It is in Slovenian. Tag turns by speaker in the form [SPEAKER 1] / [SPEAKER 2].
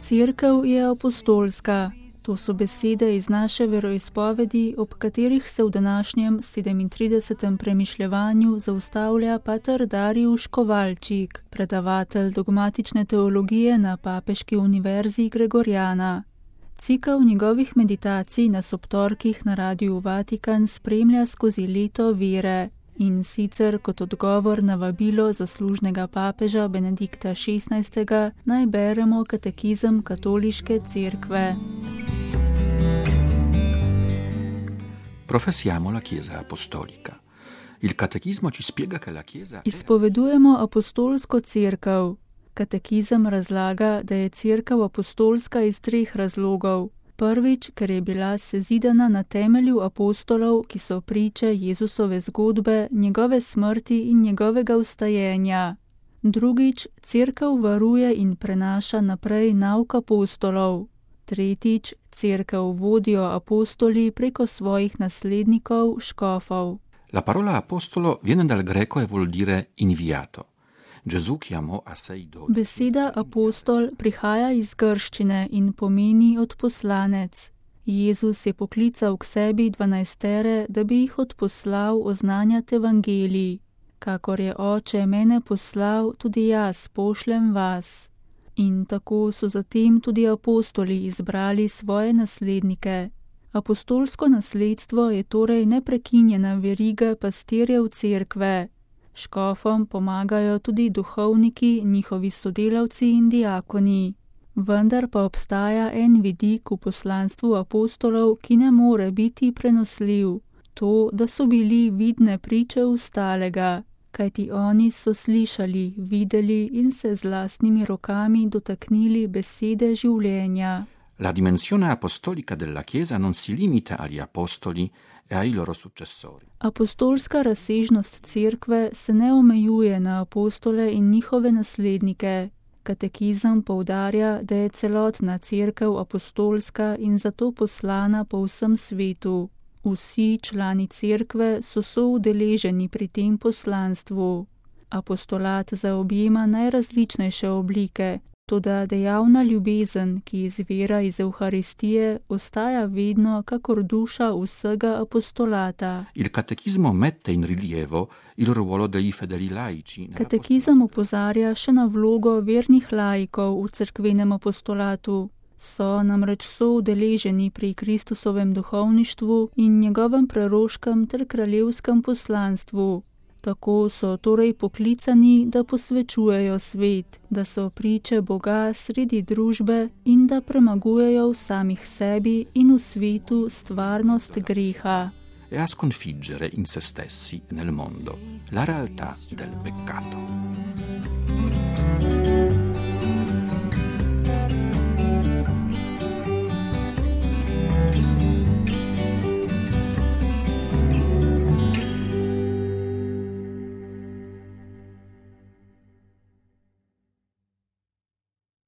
[SPEAKER 1] Cerkev je apostolska. To so besede iz naše veroizpovedi, ob katerih se v današnjem 37. premišljevanju zaustavlja pater Dariusz Kovalčik, predavatelj dogmatične teologije na Papeški univerzi Gregoriana. Cikel njegovih meditacij na sobtorkih na Radiu Vatikan spremlja skozi leto vere, in sicer kot odgovor na vabilo zaslužnega papeža Benedikta XVI. Naj beremo katekizem katoliške cerkve.
[SPEAKER 2] Professiamo la Chiesa apostolica. Il catechismo ci spiega che la Chiesa
[SPEAKER 1] Izpovedujemo apostolsko cerkev. Katekizem razlaga, da je cerkev apostolska iz 3 razlogov. Prvič, ker je bila sezidana na temelju apostolov, ki so priče Jezusove zgodbe, njegove smrti in njegovega vstajenja. Drugič, cerkev varuje in prenaša naprej nauk apostolov. Tretjič, cerkev vodijo apostoli preko svojih naslednikov, škofov.
[SPEAKER 2] La parola apostolo viene dal greco e vuol dire inviato. Gesù chiamò a sé i 12.
[SPEAKER 1] Beseda apostol prihaja iz grščine in pomeni odposlanec. Jezus je poklical k sebi 12, da bi jih odposlal oznanjati evangelij. Kakor je Oče mene poslal, tudi jaz pošljem vas. In tako so zatem tudi apostoli izbrali svoje naslednike. Apostolsko nasledstvo je torej neprekinjena veriga pastirjev cerkve. Škofom pomagajo tudi duhovniki, njihovi sodelavci in diakoni. Vendar pa obstaja en vidik v poslanstvu apostolov, ki ne more biti prenosljiv. To, da so bili vidne priče ostalega, kajti oni so slišali, videli in se z lastnimi rokami dotaknili besede življenja.
[SPEAKER 2] La dimensione apostolica della Chiesa non si limita agli apostoli e ai loro successori.
[SPEAKER 1] Apostolska razsežnost cerkve se ne omejuje na apostole in njihove naslednike. Katekizem poudarja, da je celotna cerkev apostolska in zato poslana po vsem svetu. Vsi člani cerkve so soudeleženi pri tem poslanstvu. Apostolat zaobjema najrazličnejše oblike, toda dejavna ljubezen, ki izvira iz Evharistije, ostaja vedno kakor duša vsega apostolata.
[SPEAKER 2] Il catechismo mette in rilievo il ruolo dei fedeli laici.
[SPEAKER 1] Katekizem opozarja še na vlogo vernih laikov v cerkvenem apostolatu. So namreč soudeleženi pri Kristusovem duhovništvu in njegovem preroškem ter kraljevskem poslanstvu. Tako so torej poklicani, da posvečujejo svet, da so priče Boga sredi družbe in da premagujejo v samih sebi in v svetu stvarnost greha.
[SPEAKER 2] E a sconfiggere in se stessi nel mondo la realtà del peccato.